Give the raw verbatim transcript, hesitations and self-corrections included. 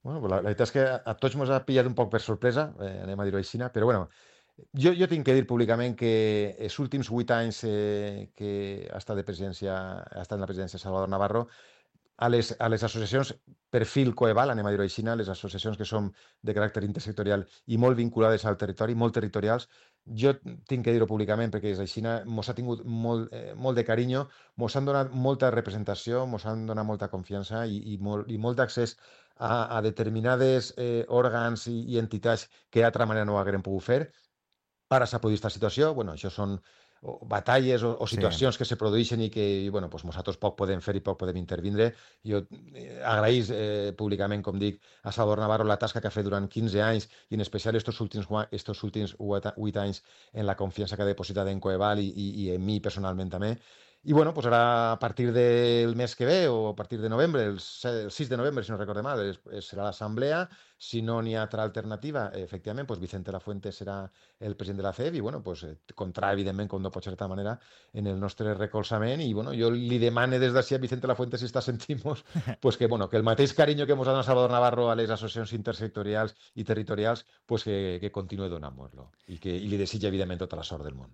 Bueno, pues la, la veritat és que a, a tots ens ha pillat un poc per sorpresa, eh, anem a dir-ho així, però bueno, jo, jo tinc que dir públicament que els últims vuit anys eh, que ha estat de presidència, ha estat en la presidència Salvador Navarro, a les, a les associacions perfil Coeval, anem a dir-ho així, les associacions que som de caràcter intersectorial i molt vinculades al territori, molt territorials, jo tinc que dir-ho públicament perquè és així, mos ha tingut molt, eh, molt de carinyo, mos han donat molta representació, mos han donat molta confiança i, i molt, i molt d'accés a, a determinades eh, òrgans i, i entitats que d'altra manera no ho haguem pogut fer. Ara s'ha produït aquesta situació, bueno, això són o batalles o, o Sí, situacions que se produeixen i que, i, bueno, pues nosaltres poc podem fer i poc podem intervindre. Jo eh, agraïs eh, públicament, com dic, a Salvador Navarro la tasca que ha fet durant quinze anys i en especial estos últims, gua- estos últims vuit anys en la confiança que ha depositat en Coeval i, i, i en mi personalment també. I bueno, pues ara a partir del mes que ve o a partir de novembre, el, se- el sis de novembre, si no recorde mal, es, es serà l'assemblea. Si no n'hi ha altra alternativa, efectivament, pues Vicente Lafuente serà el president de la C E P i, bueno, pues, eh, comptarà, evidentment, com no pot ser d'altra manera, en el nostre recolzament i, bueno, jo li demane des d'ací a Vicente Lafuente, si està sentint-nos, pues que, bueno, que el mateix carinyo que mos ha donat Salvador Navarro a les associacions intersectorials i territorials, pues que, que continuï donant-nos-lo i, que, i li desitja, evidentment, tota la sort del món.